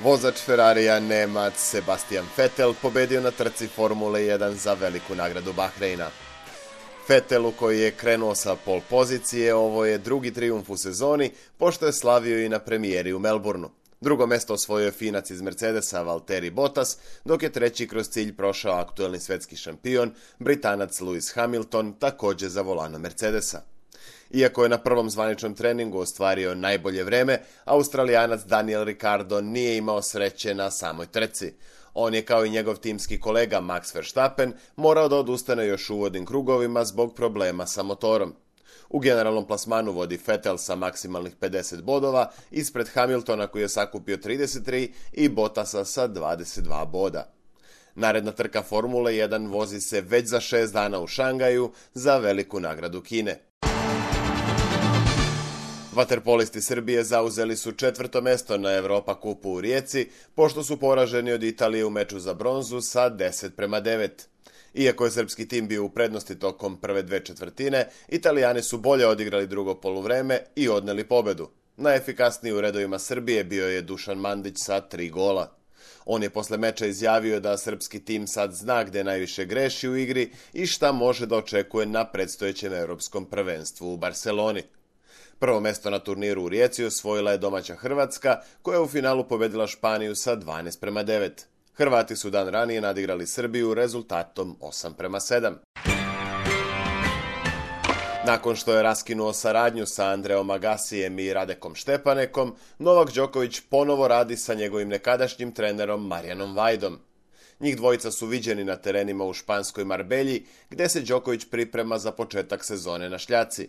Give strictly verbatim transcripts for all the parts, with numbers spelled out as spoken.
Vozač Ferrarija Nemac Sebastian Vettel pobedio na trci Formule jedan za veliku nagradu Bahreina. Vettelu, koji je krenuo sa pol pozicije, ovo je drugi trijumf u sezoni, pošto je slavio i na premijeri u Melbourneu. Drugo mesto osvojio je Finac iz Mercedesa Valtteri Bottas, dok je treći kroz cilj prošao aktuelni svetski šampion, Britanac Lewis Hamilton, također za volanom Mercedesa. Iako je na prvom zvaničnom treningu ostvario najbolje vreme, Australijanac Daniel Ricciardo nije imao sreće na samoj trci. On je, kao i njegov timski kolega Max Verstappen, morao da odustane još u uvodnim krugovima zbog problema sa motorom. U generalnom plasmanu vodi Vettel sa maksimalnih pedeset bodova, ispred Hamiltona koji je sakupio trideset tri i Bottasa sa dvadeset dva boda. Naredna trka Formule jedan vozi se već za šest dana u Šangaju za veliku nagradu Kine. Vaterpolisti Srbije zauzeli su četvrto mesto na Europa kupu u Rijeci, pošto su poraženi od Italije u meču za bronzu sa deset prema devet. Iako je srpski tim bio u prednosti tokom prve dve četvrtine, Italijani su bolje odigrali drugo poluvreme i odneli pobedu. Najefikasniji u redovima Srbije bio je Dušan Mandić sa tri gola. On je posle meča izjavio da srpski tim sad zna gde najviše greši u igri i šta može da očekuje na predstojećem europskom prvenstvu u Barseloni. Prvo mesto na turniru u Rijeci osvojila je domaća Hrvatska, koja je u finalu pobedila Španiju sa dvanaest prema devet. Hrvati su dan ranije nadigrali Srbiju rezultatom osam prema sedam. Nakon što je raskinuo saradnju sa Andreom Agassijem i Radekom Štepanekom, Novak Đoković ponovo radi sa njegovim nekadašnjim trenerom Marijanom Vajdom. Njih dvojica su viđeni na terenima u španskoj Marbelji, gde se Đoković priprema za početak sezone na šljaci.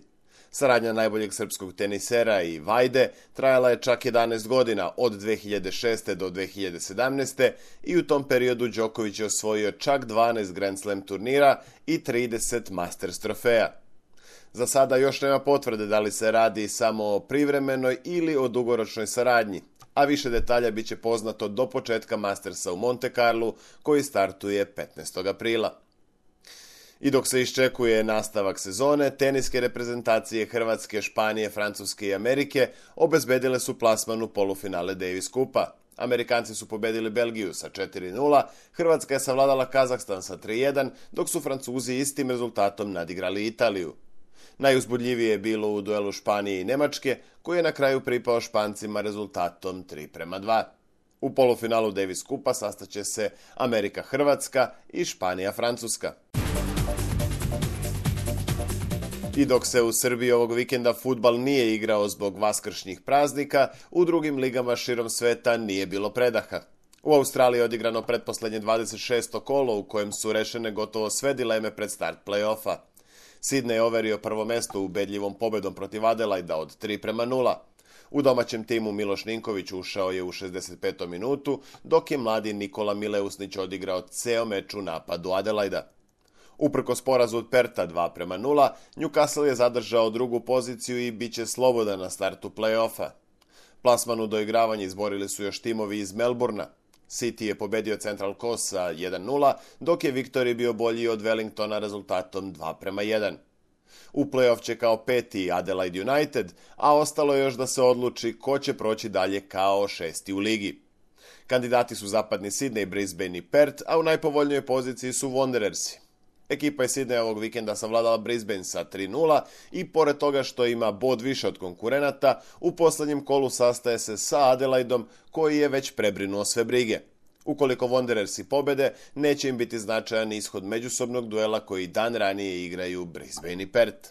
Saradnja najboljeg srpskog tenisera i Vajde trajala je čak jedanaest godina, od dve hiljade šeste. do dve hiljade sedamnaeste. i u tom periodu Đoković je osvojio čak dvanaest Grand Slam turnira i trideset Masters trofeja. Za sada još nema potvrde da li se radi samo o privremenoj ili o dugoročnoj saradnji, a više detalja bit će poznato do početka Mastersa u Monte Carlu, koji startuje petnaestog aprila. I dok se iščekuje nastavak sezone, teniske reprezentacije Hrvatske, Španije, Francuske i Amerike obezbedile su plasman u polufinale Davis Kupa. Amerikanci su pobedili Belgiju sa četiri nula, Hrvatska je savladala Kazahstan sa tri jedan, dok su Francuzi istim rezultatom nadigrali Italiju. Najuzbudljivije je bilo u duelu Španije i Nemačke, koji je na kraju pripao Špancima rezultatom tri prema dva. U polufinalu Davis Kupa sastaće se Amerika-Hrvatska i Španija-Francuska. I dok se u Srbiji ovog vikenda fudbal nije igrao zbog vaskršnjih praznika, u drugim ligama širom sveta nije bilo predaha. U Australiji je odigrano pretposlednje dvadeset šesto kolo u kojem su rešene gotovo sve dileme pred start play-offa. Sydney je overio prvo mesto ubedljivom pobedom protiv Adelaida od tri prema nula. U domaćem timu Miloš Ninković ušao je u šezdeset petom minutu, dok je mladi Nikola Mileusnić odigrao ceo meč u napadu Adelaida. Uprkos porazu od Perta dva prema nula, Newcastle je zadržao drugu poziciju i bit će slobodan na startu play-offa. Plasman u doigravanje izborili su još timovi iz Melbournea. City je pobedio Central Coast sa jedan nula, dok je Victory bio bolji od Wellingtona rezultatom dva prema jedan. U play-off će kao peti Adelaide United, a ostalo je još da se odluči ko će proći dalje kao šesti u ligi. Kandidati su zapadni Sydney, Brisbane i Perth, a u najpovoljnijoj poziciji su Wanderersi. Ekipa je Sydney ovog vikenda savladala Brisbane sa tri nula i pored toga što ima bod više od konkurenata, u poslednjem kolu sastaje se sa Adelaidom, koji je već prebrinuo sve brige. Ukoliko Wanderersi pobede, neće im biti značajan ishod međusobnog duela koji dan ranije igraju Brisbane i Perth.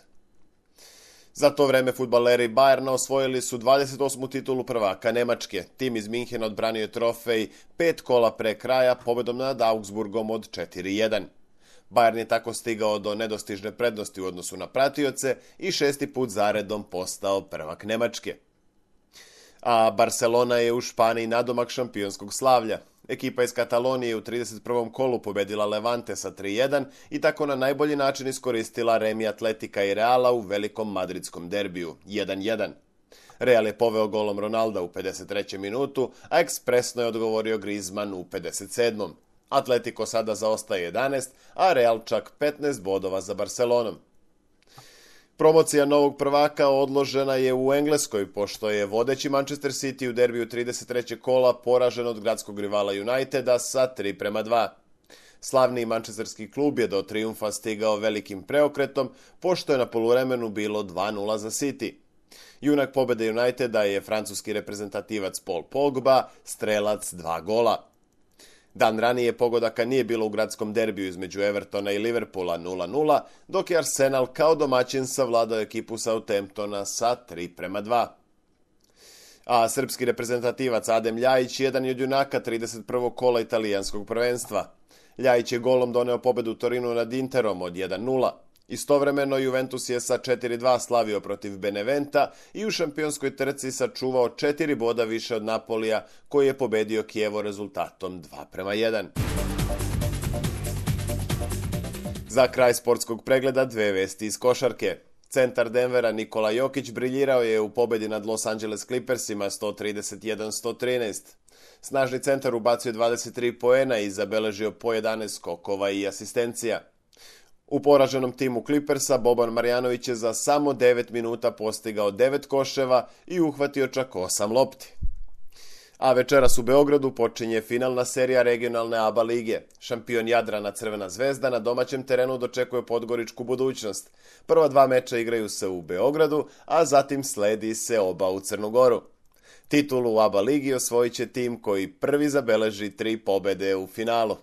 Za to vreme fudbaleri Bayerna osvojili su dvadeset osmu titulu prvaka Nemačke. Tim iz Minhena odbranio je trofej pet kola pre kraja pobedom nad Augsburgom od četiri jedan. Bayern je tako stigao do nedostižne prednosti u odnosu na pratioce i šesti put zaredom postao prvak Nemačke. A Barcelona je u Španiji nadomak šampionskog slavlja. Ekipa iz Katalonije u trideset prvom kolu pobedila Levante sa tri jedan i tako na najbolji način iskoristila remi Atletika i Reala u velikom madridskom derbiju jedan jedan. Real je poveo golom Ronalda u pedeset trećem minutu, a ekspresno je odgovorio Griezmann u pedeset sedmom Atletico sada zaostaje jedanaest, a Real čak petnaest bodova za Barcelonom. Promocija novog prvaka odložena je u Engleskoj, pošto je vodeći Manchester City u derbiju trideset trećeg kola poražen od gradskog rivala Uniteda sa tri prema dva. Slavni mančesterski klub je do trijumfa stigao velikim preokretom, pošto je na poluvremenu bilo dva nula za City. Junak pobede Uniteda je francuski reprezentativac Paul Pogba, strelac dva gola. Dan ranije pogodaka nije bilo u gradskom derbiju između Evertona i Liverpoola nula nula, dok je Arsenal kao domaćin savladao ekipu Southamptona sa tri prema dva. A srpski reprezentativac Adem Ljajić jedan je od junaka trideset prvog kola italijanskog prvenstva. Ljajić je golom doneo pobedu Torinu nad Interom od jedan nula. Istovremeno Juventus je sa četiri dva slavio protiv Beneventa i u šampionskoj trci sačuvao četiri boda više od Napolija, koji je pobedio Kijevo rezultatom dva prema jedan. Za kraj sportskog pregleda dve vesti iz košarke. Centar Denvera Nikola Jokić briljirao je u pobedi nad Los Angeles Clippersima sto trideset jedan sto trinaest. Snažni centar ubacio dvadeset tri poena i zabeležio po jedanaest skokova i asistencija. U poraženom timu Clippersa Boban Marjanović je za samo devet minuta postigao devet koševa i uhvatio čak osam lopti. A večeras u Beogradu počinje finalna serija regionalne A B A lige. Šampion Jadrana Crvena zvezda na domaćem terenu dočekuje Podgoričku Budućnost. Prva dva meča igraju se u Beogradu, a zatim sledi se oba u Crnu Goru. Titulu u A B A ligi osvojit će tim koji prvi zabeleži tri pobede u finalu.